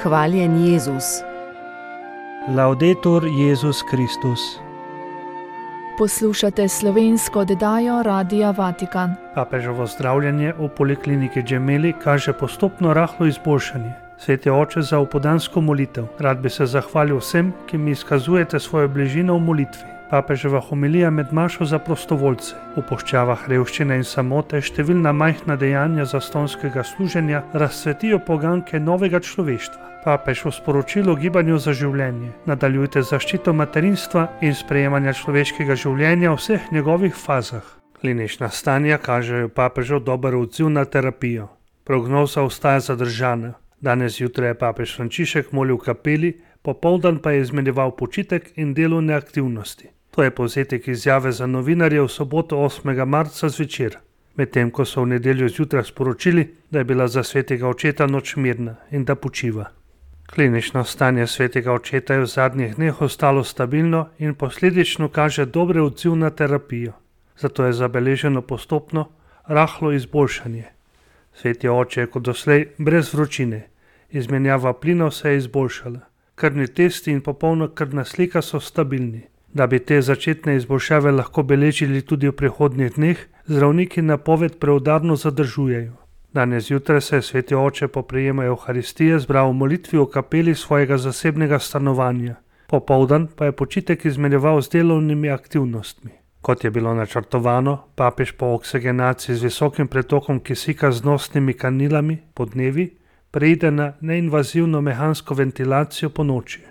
Hvaljen Jezus. Laudetur Jezus Kristus. Poslušate slovensko oddajo Radia Vatikan. Papeževo zdravljenje v polikliniki Gemelli kaže postopno rahlo izboljšanje. Sveti oče, za opoldansko molitev rad bi se zahvalil vsem, ki mi izkazujete svojo bližino v molitvi. Papeževa homilija med mašo za prostovoljce v puščavah revščine in samote, številna majhna dejanja zastonskega služenja razcvetijo poganke novega človeštva. Papež v sporočilu gibanju za življenje: nadaljujte zaščito materinstva in sprejemanja človeškega življenja v vseh njegovih fazah. Klinična stanja kažejo papežev dober odziv na terapijo. Prognoza ostaja zadržana. Danes zjutraj je papež Frančišek molil v kapeli, popoldan pa je izmenjeval počitek in delovne aktivnosti. To je povzetek izjave za novinarje v soboto 8. marca zvečer, medtem ko so v nedeljo zjutraj sporočili, da je bila za svetega očeta noč mirna in da počiva. Klinično stanje svetega očeta je v zadnjih dneh ostalo stabilno in posledično kaže dober odziv na terapijo. Zato je zabeleženo postopno rahlo izboljšanje. Sveti oče je kot doslej brez vročine. Izmenjava plinov se je izboljšala. Krvni testi in popolna krvna slika so stabilni. Da bi te začetne izboljšave lahko beležili tudi v prihodnjih dneh, zdravniki napoved preudarno zadržujejo. Danes zjutraj se je sveti oče po prejemu Evharistije zbral v molitvi v kapeli svojega zasebnega stanovanja. Popoldan pa je počitek izmenjeval z delovnimi aktivnostmi. Kot je bilo načrtovano, papež po oksegenaciji z visokim pretokom kisika z nosnimi kanilami podnevi preide na neinvazivno mehansko ventilacijo po noči.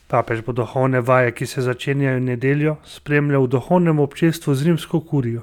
Papež bo duhovne vaje, ki se začenjajo v nedeljo, spremljal v duhovnem občestvu z rimsko kurijo.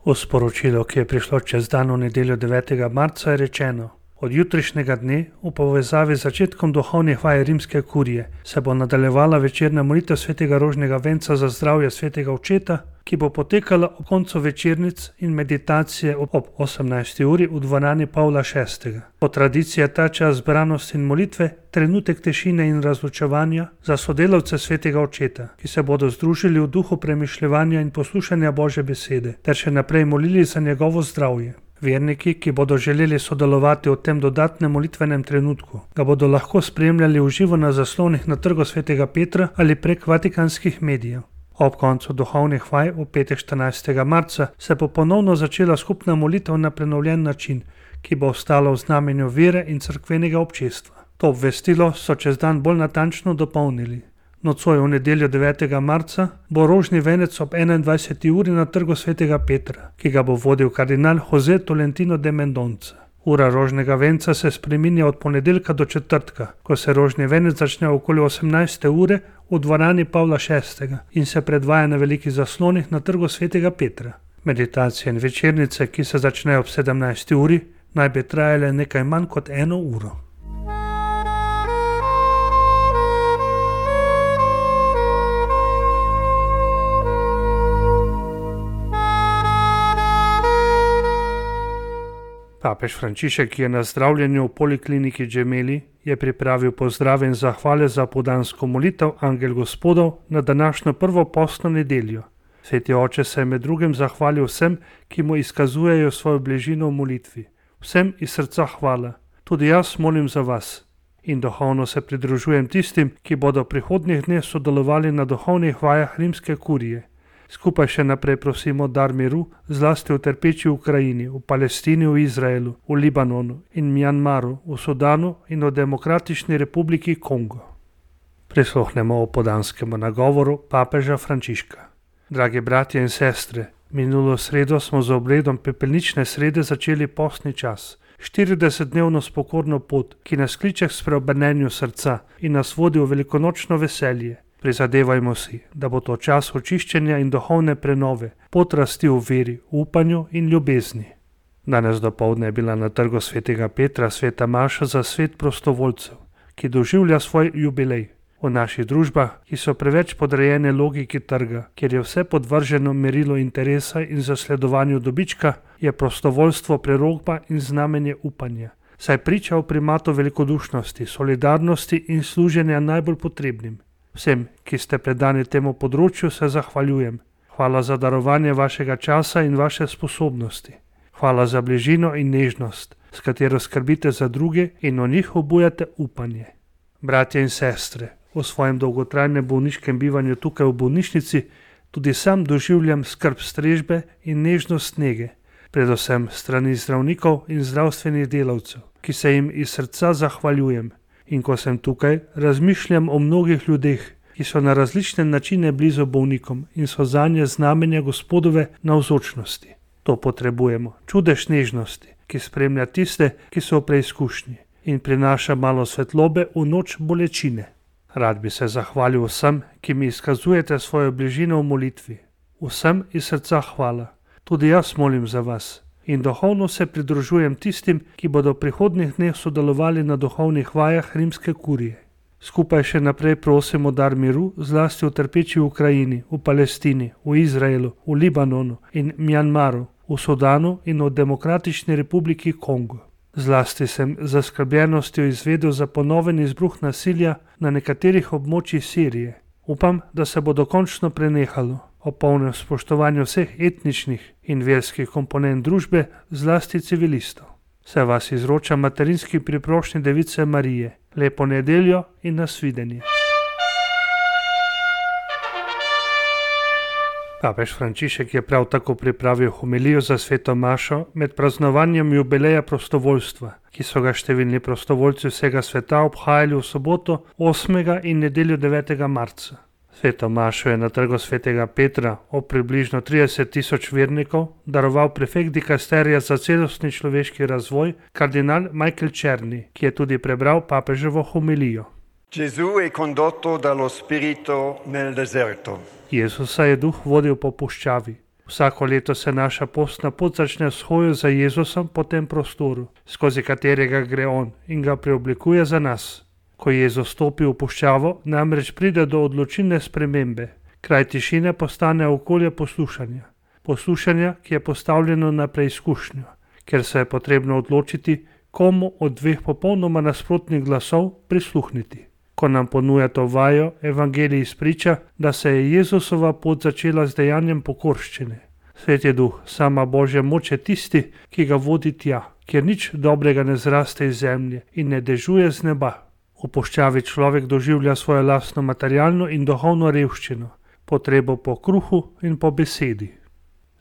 V sporočilu, ki je prišlo čez dan v nedeljo 9. marca, je rečeno: od jutrišnjega dne, v povezavi z začetkom duhovnih vaj rimske kurije, se bo nadaljevala večerna molitev svetega rožnega venca za zdravje svetega očeta, ki bo potekala ob koncu večernic in meditacije ob 18. uri v dvorani Pavla VI. Po tradiciji je ta čas zbranosti in molitve trenutek tišine in razločevanja za sodelavce svetega očeta, ki se bodo združili v duhu premišljevanja in poslušanja Božje besede, ter še naprej molili za njegovo zdravje. Verniki, ki bodo želeli sodelovati v tem dodatnem molitvenem trenutku, ga bodo lahko spremljali v živo na zaslonih na Trgu svetega Petra ali prek vatikanskih medijev. Ob koncu duhovnih vaj v petek 14. marca se bo ponovno začela skupna molitev na prenovljen način, ki bo ostala v znamenju vere in cerkvenega občestva. To obvestilo so čez dan bolj natančno dopolnili. Nocoj v nedeljo 9. marca bo rožni venec ob 21. uri na Trgu svetega Petra, ki ga bo vodil kardinal José Tolentino de Mendonca. Ura rožnega venca se spreminja od ponedeljka do četrtka, ko se rožni venec začne okoli 18. ure v dvorani Pavla VI. In se predvaja na velikih zaslonih na Trgu svetega Petra. Meditacije in večernice, ki se začnejo ob 17. uri, naj bi trajale nekaj manj kot 1 uro. Papež Frančišek, ki je na zdravljenju v polikliniki Gemelli, je pripravil pozdrave in zahvale za opoldansko molitev Angel Gospodov na današnjo prvo postno nedeljo. Sveti oče se je med drugim zahvalil vsem, ki mu izkazujejo svojo bližino v molitvi. Vsem iz srca hvala. Tudi jaz molim za vas. In duhovno se pridružujem tistim, ki bodo v prihodnjih dneh sodelovali na duhovnih vajah rimske kurije. Skupaj še naprej prosimo dar miru, zlasti v trpeči Ukrajini, v Palestini, v Izraelu, v Libanonu in Mjanmaru, v Sudanu in v Demokratični republiki Kongo. Prisluhnemo opoldanskemu nagovoru papeža Frančiška. Dragi bratje in sestre, minulo sredo smo z obredom pepelnične srede začeli postni čas. 40-dnevno spokorno pot, ki nas kliče k spreobrnenju srca in nas vodi v velikonočno veselje. Prizadevajmo si, da bo to čas očiščenja in duhovne prenove, pot rasti v veri, upanju in ljubezni. Danes dopoldne je bila na Trgu svetega Petra sveta maša za svet prostovoljcev, ki doživlja svoj jubilej. V naših družbah, ki so preveč podrejene logiki trga, kjer je vse podvrženo merilu interesa in zasledovanju dobička, je prostovoljstvo prerokba in znamenje upanja, saj priča o primatu velikodušnosti, solidarnosti in služenja najbolj potrebnim. Vsem, ki ste predani temu področju, se zahvaljujem. Hvala za darovanje vašega časa in vaše sposobnosti. Hvala za bližino in nežnost, s katero skrbite za druge in o njih obujate upanje. Bratje in sestre, v svojem dolgotrajnem bolniškem bivanju tukaj v bolnišnici tudi sam doživljam skrb strežbe in nežnost nege, predvsem strani zdravnikov in zdravstvenih delavcev, ki se jim iz srca zahvaljujem. In ko sem tukaj, razmišljam o mnogih ljudeh, ki so na različne načine blizu bolnikom in so zanje znamenje Gospodove navzočnosti. To potrebujemo, čudež nežnosti, ki spremlja tiste, ki so v preizkušnji in prinaša malo svetlobe v noč bolečine. Rad bi se zahvalil vsem, ki mi izkazujete svojo bližino v molitvi. Vsem iz srca hvala. Tudi jaz molim za vas in duhovno se pridružujem tistim, ki bodo v prihodnjih dneh sodelovali na duhovnih vajah rimske kurije. Skupaj še naprej prosimo dar miru, zlasti v trpeči Ukrajini, v Palestini, v Izraelu, v Libanonu in Mjanmaru, v Sudanu in v Demokratični republiki Kongo. Zlasti sem z zaskrbljenostjo izvedel za ponoven izbruh nasilja na nekaterih območjih Sirije. Upam, da se bo dokončno prenehalo o polnem spoštovanju vseh etničnih in verskih komponent družbe, zlasti civilistov. Se vas izroča materinski priprošnji Device Marije. Lepo nedeljo in nasvidenje. Papež Frančišek je prav tako pripravil homilijo za sveto mašo med praznovanjem jubileja prostovoljstva, ki so ga številni prostovoljci vsega sveta obhajali v soboto 8. in nedeljo 9. marca. Sveto mašo je na trgu svetega Petra ob približno 30.000 vernikov daroval prefekt dikasterija za celostni človeški razvoj, kardinal Michael Černi, ki je tudi prebral papeževo homilijo. Gesù è condotto dallo Spirito nel deserto. Jezusa je duh vodil po puščavi. Vsako leto se naša postna pot začne s hojo za Jezusom po tem prostoru, skozi katerega gre on in ga preoblikuje za nas. Ko Jezus stopi v puščavo, namreč pride do odločilne spremembe. Kraj tišine postane okolje poslušanja. Poslušanja, ki je postavljeno na preizkušnjo, ker se je potrebno odločiti, komu od dveh popolnoma nasprotnih glasov prisluhniti. Ko nam ponuja to vajo, evangelij izpriča, da se je Jezusova pot začela z dejanjem pokorščine. Sveti duh, sama Božja moč je tisti, ki ga vodi tja, kjer nič dobrega ne zraste iz zemlje in ne dežuje z neba. V puščavi človek doživlja svojo lastno materialno in duhovno revščino, potrebo po kruhu in po besedi.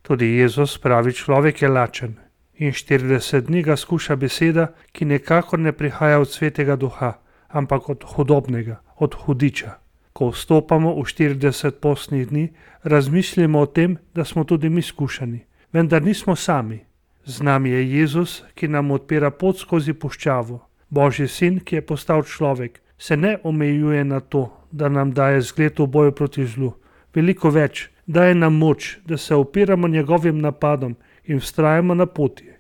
Tudi Jezus, pravi človek, je lačen in 40 dni ga skuša beseda, ki nekako ne prihaja od svetega duha, ampak od hudobnega, od hudiča. Ko vstopamo v 40 postnih dni, razmislimo o tem, da smo tudi mi skušani, vendar nismo sami. Z nami je Jezus, ki nam odpira pot skozi puščavo. Božji sin, ki je postal človek, se ne omejuje na to, da nam daje zgled v boju proti zlu. Veliko več, daje nam moč, da se opiramo njegovim napadom in vztrajamo na poti.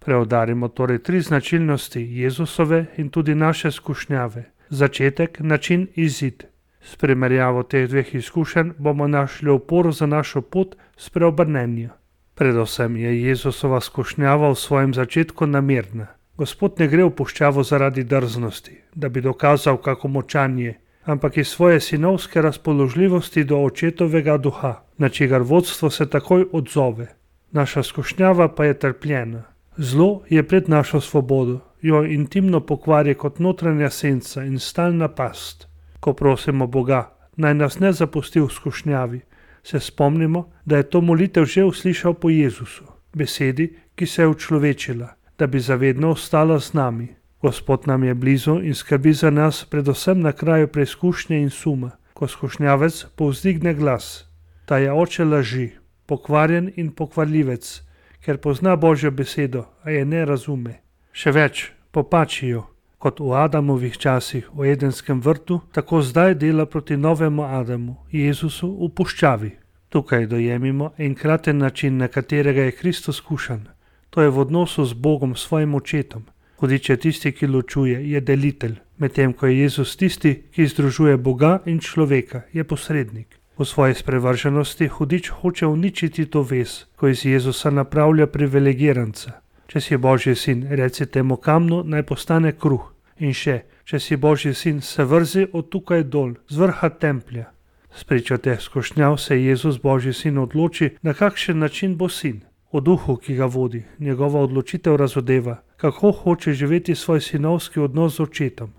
Preudarimo torej 3 značilnosti Jezusove in tudi naše skušnjave. Začetek, način, izid. S primerjavo teh dveh izkušenj bomo našli oporo za našo pot spreobrnenja. Predvsem je Jezusova skušnjava v svojem začetku namerna. Gospod ne gre v puščavo zaradi drznosti, da bi dokazal, kako močan je, ampak iz svoje sinovske razpoložljivosti do očetovega duha, na čigar vodstvo se takoj odzove. Naša skušnjava pa je trpljena. Zlo je pred našo svobodo, jo intimno pokvari kot notranja senca in stalna past. Ko prosimo Boga, naj nas ne zapusti v skušnjavi, se spomnimo, da je to molitev že uslišal po Jezusu, besedi, ki se je učlovečila, da bi zavedno ostala z nami. Gospod nam je blizu in skrbi za nas predvsem na kraju preizkušnje in suma, ko skušnjavec povzdigne glas. Ta je oče laži, pokvarjen in pokvarljivec, ker pozna Božjo besedo, a je ne razume. Še več, popači jo, kot v Adamovih časih v Edenskem vrtu, tako zdaj dela proti novemu Adamu, Jezusu v puščavi. Tukaj dojemimo enkraten način, na katerega je Kristus skušan. To je v odnosu z Bogom, svojim očetom. Hudič je tisti, ki ločuje, je delitelj, medtem ko je Jezus tisti, ki združuje Boga in človeka, je posrednik. V svoji sprevrženosti hudič hoče uničiti to vez, ko iz Jezusa napravlja privilegiranca. Če si Božji sin, reci temu kamnu, naj postane kruh. In še, če si Božji sin, se vrzi od tukaj dol, z vrha templja. Spričo teh skušnjav se Jezus, Božji sin, odloči, na kakšen način bo sin. O duhu, ki ga vodi, njegova odločitev razodeva, kako hoče živeti svoj sinovski odnos z očetom.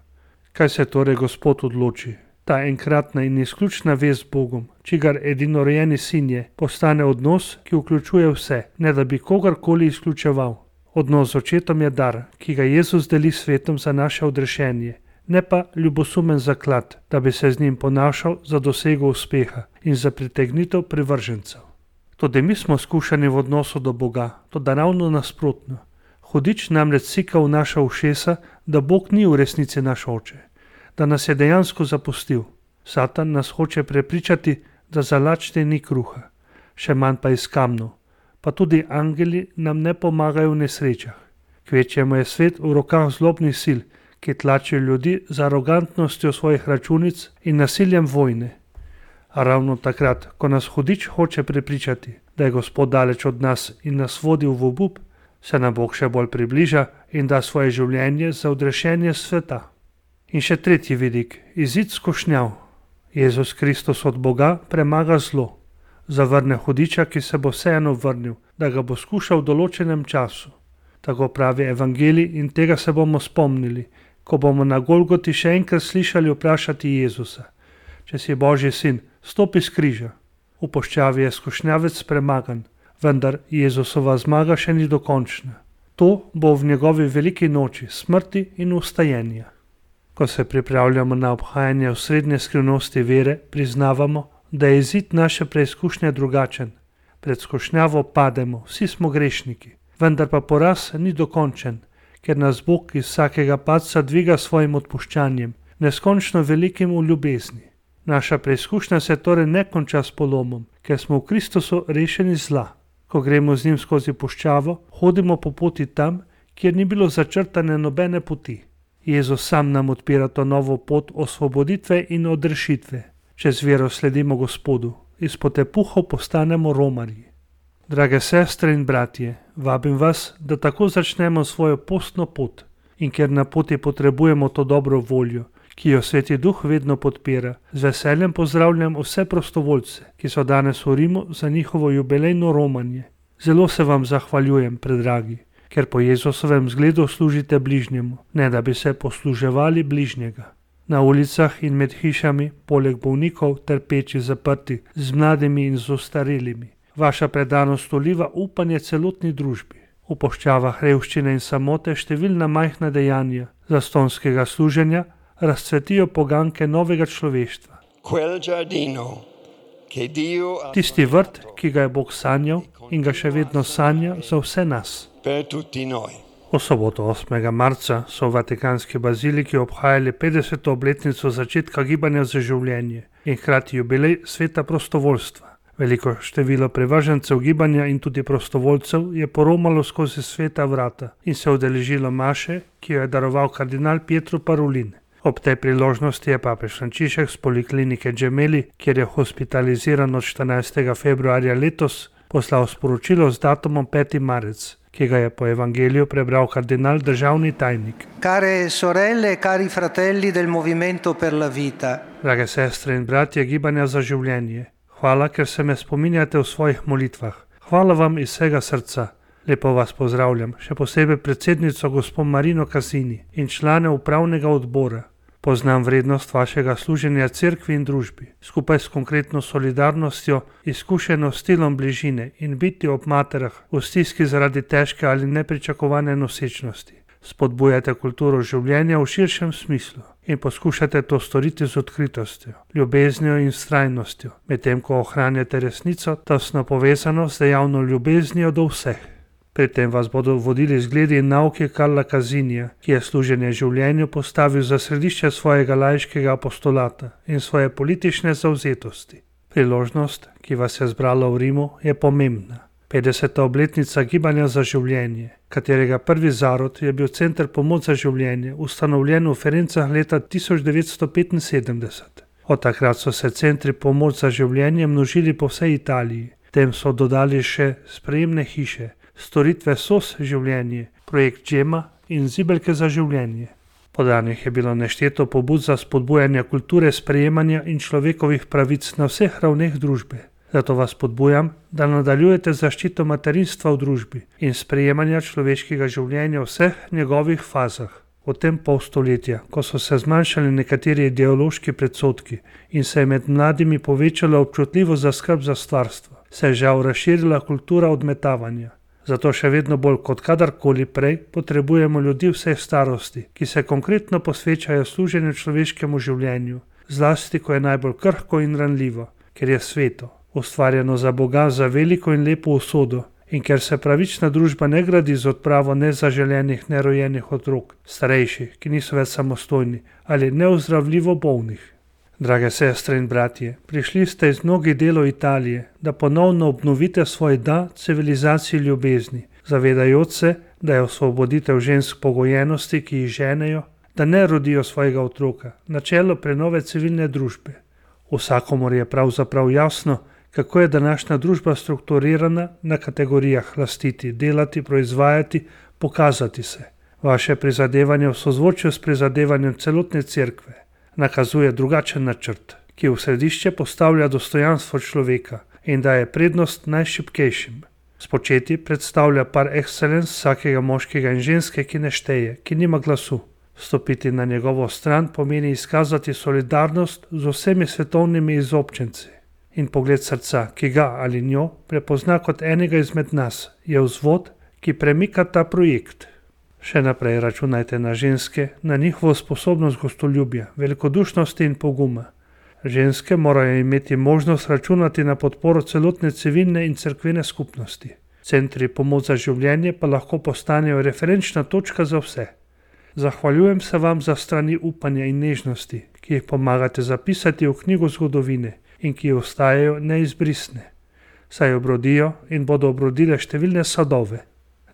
Kaj se torej Gospod odloči? Ta enkratna in izključna vez z Bogom, čigar edinorojeni sin je, postane odnos, ki vključuje vse, ne da bi kogarkoli izključeval. Odnos z očetom je dar, ki ga Jezus deli svetom za naše odrešenje, ne pa ljubosumen zaklad, da bi se z njim ponašal za dosego uspeha in za pritegnitev privržencev. Tudi mi smo skušani v odnosu do Boga, toda ravno nasprotno. Hudič namreč sika v naša ušesa, da Bog ni v resnici naš oče, da nas je dejansko zapustil. Satan nas hoče prepričati, da za lačne ni kruha, še manj pa iz kamnov, pa tudi angeli nam ne pomagajo v nesrečah. Kvečjemu je svet v rokah zlobnih sil, ki tlačijo ljudi z arogantnostjo svojih računic in nasiljem vojne. A ravno takrat, ko nas hudič hoče prepričati, da je Gospod daleč od nas in nas vodi v obup, se nam Bog še bolj približa in da svoje življenje za odrešenje sveta. In še tretji vidik, izid skušnjav. Jezus Kristus od Boga premaga zlo. Zavrne hudiča, ki se bo vseeno vrnil, da ga bo skušal v določenem času. Tako pravi evangelij in tega se bomo spomnili, ko bomo na Golgoti še enkrat slišali vprašati Jezusa: Če si Božji sin, stopi s križa. V puščavi je skušnjavec premagan, vendar Jezusova zmaga še ni dokončna. To bo v njegovi veliki noči smrti in vstajenja. Ko se pripravljamo na obhajanje osrednje skrivnosti vere, priznavamo, da je izid naše preizkušnje drugačen. Pred skušnjavo pademo, vsi smo grešniki, vendar pa poraz ni dokončen, ker nas Bog iz vsakega padca dviga svojim odpuščanjem, neskončno velikim v ljubezni. Naša preizkušnja se torej ne konča s polomom, ker smo v Kristusu rešeni zla. Ko gremo z njim skozi puščavo, hodimo po poti tam, kjer ni bilo začrtane nobene poti. Jezus sam nam odpira to novo pot osvoboditve in odrešitve. Če z vero sledimo Gospodu, iz potepuhov postanemo romarji. Drage sestre in bratje, vabim vas, da tako začnemo svojo postno pot, in ker na poti potrebujemo to dobro voljo, ki jo Sveti Duh vedno podpira, z veseljem pozdravljam vse prostovoljce, ki so danes v Rimu za njihovo jubilejno romanje. Zelo se vam zahvaljujem, predragi, ker po Jezusovem zgledu služite bližnjemu, ne da bi se posluževali bližnjega. Na ulicah in med hišami, poleg bolnikov, trpeči, zaprti, z mladimi in z ostarelimi. Vaša predanost vliva upanje celotni družbi. V puščavah revščine in samote številna majhna dejanja zastonskega služenja razcvetijo poganke novega človeštva. Tisti vrt, ki ga je Bog sanjal in ga še vedno sanja za vse nas. V soboto 8. marca so v Vatikanski baziliki obhajali 50. obletnico začetka gibanja za življenje in hkrati jubilej sveta prostovoljstva. Veliko število privržencev gibanja in tudi prostovoljcev je poromalo skozi sveta vrata in se udeležilo maše, ki jo je daroval kardinal Pietro Parolin. Ob tej priložnosti je papež Frančišek z poliklinike Gemelli, kjer je hospitaliziran od 14. februarja letos, poslal sporočilo z datumom 5. marec, ki ga je po evangeliju prebral kardinal državni tajnik. Care sorelle, cari fratelli del Movimento per la Vita. Drage sestre in bratje gibanja za življenje, hvala, ker se me spominjate v svojih molitvah. Hvala vam iz vsega srca. Lepo vas pozdravljam, še posebej predsednico gospo Marino Casini in člane upravnega odbora. Poznam vrednost vašega služenja cerkvi in družbi, skupaj s konkretno solidarnostjo, izkušeno stilom bližine in biti ob materah v stiski zaradi težke ali nepričakovane nosečnosti. Spodbujate kulturo življenja v širšem smislu in poskušate to storiti z odkritostjo, ljubeznijo in vztrajnostjo, medtem ko ohranjate resnico, tesno povezano z dejavno ljubeznijo do vseh. Pri tem vas bodo vodili zgledi in nauki Karla Casinija, ki je služenje življenju postavil za središče svojega laiškega apostolata in svoje politične zavzetosti. Priložnost, ki vas je zbrala v Rimu, je pomembna. 50. obletnica gibanja za življenje, katerega prvi zarod je bil Center pomoč za življenje, ustanovljen v Ferencah leta 1975. Od takrat so se centri pomoč za življenje množili po vsej Italiji. Tem so dodali še sprejemne hiše, storitve SOS življenje, projekt Džema in zibelke za življenje. Podanih je bilo nešteto pobud za spodbujanje kulture sprejemanja in človekovih pravic na vseh ravneh družbe. Zato vas spodbujam, da nadaljujete zaščito materinstva v družbi in sprejemanja človeškega življenja v vseh njegovih fazah. V tem pol stoletja, ko so se zmanjšali nekateri ideološki predsodki in se je med mladimi povečala občutljivost za skrb za stvarstvo, se je žal razširila kultura odmetavanja. Zato še vedno bolj kot kadarkoli prej potrebujemo ljudi vseh starosti, ki se konkretno posvečajo služenju človeškemu življenju, zlasti ko je najbolj krhko in ranljivo, ker je sveto, ustvarjeno za Boga za veliko in lepo usodo in ker se pravična družba ne gradi z odpravo nezaželenih, nerojenih otrok, starejših, ki niso več samostojni ali neozdravljivo bolnih. Drage sestre in bratje, prišli ste iz mnogih delov Italije, da ponovno obnovite svoj da civilizaciji ljubezni, zavedajoč se, da je osvoboditev žensk pogojenosti, ki jih ženejo, da ne rodijo svojega otroka, načelo prenove civilne družbe. Vsakomur je pravzaprav jasno, kako je današnja družba strukturirana na kategorijah lastiti, delati, proizvajati, pokazati se. Vaše prizadevanje v sozvočju s prizadevanjem celotne cerkve nakazuje drugačen načrt, ki v središče postavlja dostojanstvo človeka in daje prednost najšibkejšim. Spočeti predstavlja par excellence vsakega moškega in ženske, ki ne šteje, ki nima glasu. Stopiti na njegovo stran pomeni izkazati solidarnost z vsemi svetovnimi izobčenci. In pogled srca, ki ga ali njo prepozna kot enega izmed nas, je vzvod, ki premika ta projekt. Še naprej računajte na ženske, na njihovo sposobnost gostoljubja, velikodušnosti in poguma. Ženske morajo imeti možnost računati na podporo celotne civilne in cerkvene skupnosti. Centri pomoč za življenje pa lahko postanejo referenčna točka za vse. Zahvaljujem se vam za strani upanja in nežnosti, ki jih pomagate zapisati v knjigo zgodovine in ki ostajajo neizbrisne. Saj obrodijo in bodo obrodile številne sadove.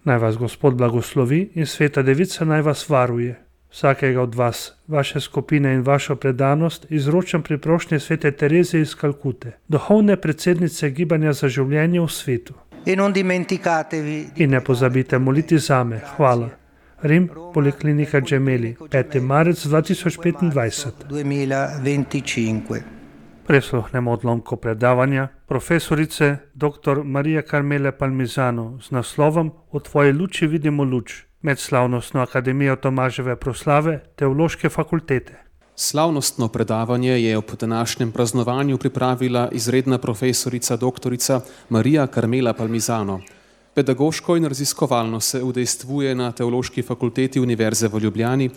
Naj vas Gospod blagoslovi in Sveta Devica naj vas varuje. Vsakega od vas, vaše skupine in vašo predanost izročam pri prošnji Svete Tereze iz Kalkute, duhovne predsednice Gibanja za življenje v svetu. In ne pozabite moliti zame. Hvala. Rim, Poliklinika Gemelli, 5. marec 2025. Presluhnemo odlomko predavanja profesorice dr. Marija Carmele Palmisano z naslovom V tvoji luči vidimo luč med slavnostno akademijo Tomaževe proslave Teološke fakultete. Slavnostno predavanje je ob današnjem praznovanju pripravila izredna profesorica dr. Marija Carmela Palmisano. Pedagoško in raziskovalno se udejstvuje na Teološki fakulteti Univerze v Ljubljani,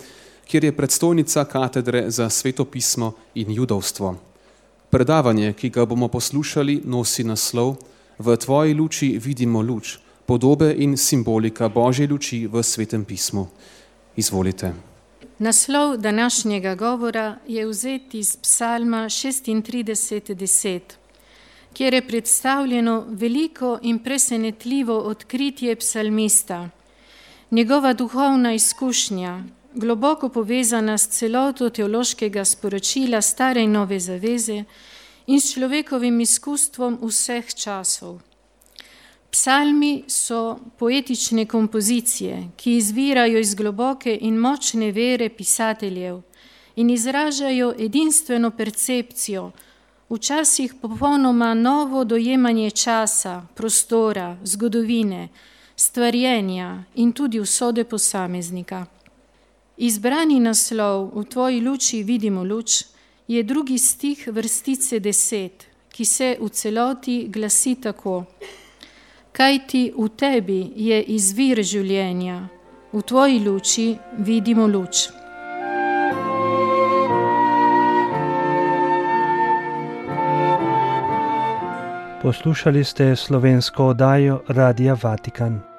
kjer je predstojnica katedre za svetopismo in judovstvo. Predavanje, ki ga bomo poslušali, nosi naslov V tvoji luči vidimo luč, podobe in simbolika Božje luči v Svetem pismu. Izvolite. Naslov današnjega govora je vzet iz Psalma 36:10, kjer je predstavljeno veliko in presenetljivo odkritje psalmista. Njegova duhovna izkušnja, globoko povezana s celoto teološkega sporočila Stare in Nove zaveze in s človekovim izkustvom vseh časov. Psalmi so poetične kompozicije, ki izvirajo iz globoke in močne vere pisateljev in izražajo edinstveno percepcijo, včasih popolnoma novo dojemanje časa, prostora, zgodovine, stvarjenja in tudi usode posameznika. Izbrani naslov V tvoji luči vidimo luč je 2. stih vrstice 10, ki se v celoti glasi tako: Kajti v tebi je izvir življenja, v tvoji luči vidimo luč. Poslušali ste slovensko oddajo Radia Vatikan.